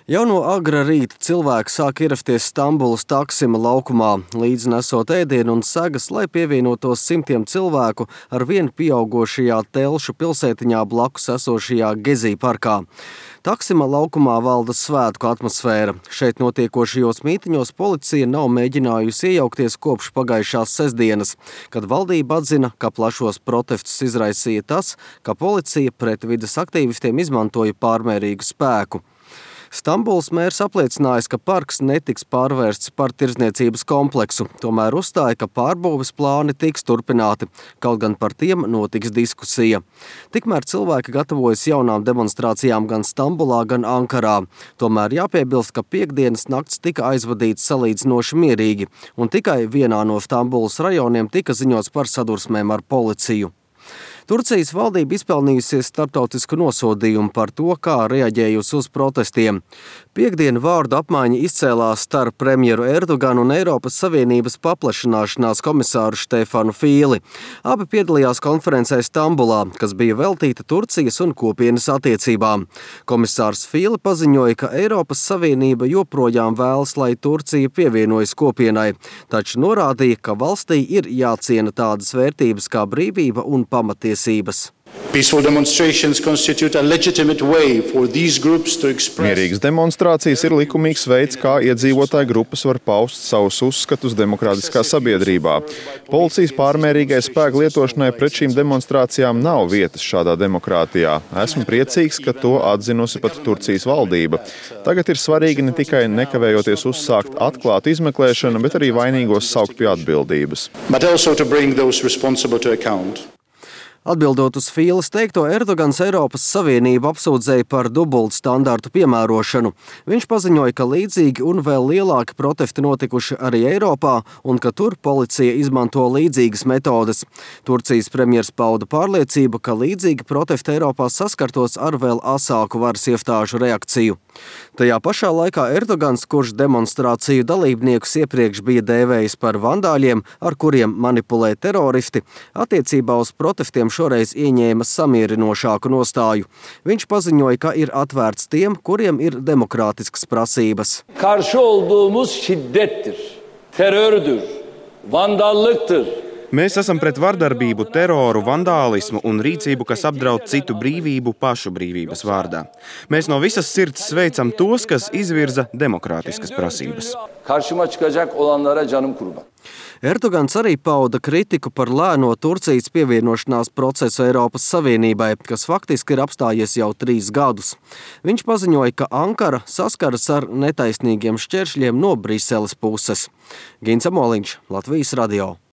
Jau no agra rīta cilvēki sāk ierasties Stambulas Taksima laukumā, līdzi nesot ēdienu un segas, lai pievienotos simtiem cilvēku ar vien pieaugošajā Telšu pilsētiņā blakus esošajā Gezī parkā. Taksima laukumā valda svētku atmosfēra. Šeit notiekošajos mītiņos policija nav mēģinājusi iejaukties kopš pagājušās sestdienas, kad valdība atzina, ka plašos protestus izraisīja tas, ka policija pret vides aktīvistiem izmantoja pārmērīgu spēku. Stambulas mērs apliecinājis, ka parks netiks pārvērsts par tirdzniecības kompleksu, tomēr uzstāja, ka pārbūves plāni tiks turpināti, kaut gan par tiem notiks diskusija. Tikmēr cilvēki gatavojas jaunām demonstrācijām gan Stambulā, gan Ankarā. Tomēr jāpiebilst, ka piektdienas nakts tika aizvadīts salīdzinoši mierīgi, un tikai vienā no Stambulas rajoniem tika ziņots par sadursmēm ar policiju. Turcijas valdība izpelnījusies starptautisku nosodījumu par to, kā reaģējusi uz protestiem. Piektdien vārdu apmaiņa izcēlās starp premjeru Erdoganu un Eiropas Savienības paplašināšanās komisāru Štefanu Fīli. Abi piedalījās konferencē Stambulā, kas bija veltīta Turcijas un kopienas attiecībām. Komisārs Fīli paziņoja, ka Eiropas Savienība joprojām vēlas, lai Turcija pievienojas kopienai, taču norādīja, ka valstī ir jāciena tādas vērtības kā brīvība un pamatiesības. Mierīgas demonstrācijas ir likumīgs veids, kā iedzīvotāju grupas var paust savus uzskatus demokrātiskā sabiedrībā. Policijas pārmērīgai spēku lietošanai pret šīm demonstrācijām nav vietas šādā demokrātijā. Esmu priecīgs, ka to atzinusi pat Turcijas valdība. Tagad ir svarīgi ne tikai nekavējoties uzsākt atklātu izmeklēšanu, bet arī vainīgos saukt pie atbildības. Atbildot uz Fīles teikto, Erdogans Eiropas Savienību apsūdzēja par dubultu standartu piemērošanu. Viņš paziņoja, ka līdzīgi un vēl lielāki protesti notikuši arī Eiropā un ka tur policija izmanto līdzīgas metodes. Turcijas premjers pauda pārliecību, ka līdzīgi protesti Eiropā saskartos ar vēl asāku varas iestāžu reakciju. Tajā pašā laikā Erdogans, kurš demonstrāciju dalībniekus iepriekš bija dēvējis par vandāļiem, ar kuriem manipulē teroristi, attiecībā uz protestiem šoreiz ieņēma samierinošāku nostāju. Viņš paziņoja, ka ir atvērts tiem, kuriem ir demokrātiskas prasības. Karşı olduğumuz şiddettir, terördür, vandallıktır. Mēs esam pret vardarbību, teroru, vandālismu un rīcību, kas apdraud citu brīvību pašu brīvības vārdā. Mēs no visas sirds sveicam tos, kas izvirza demokrātiskas prasības. Karşıma çıkacak olanlara canım kurban. Erdogans arī pauda kritiku par lēno Turcijas pievienošanās procesu Eiropas Savienībai, kas faktiski ir apstājies jau 3 gadus. Viņš paziņoja, ka Ankara saskaras ar netaisnīgiem šķēršļiem no Briseles puses. Gins Amoliņš, Latvijas radio.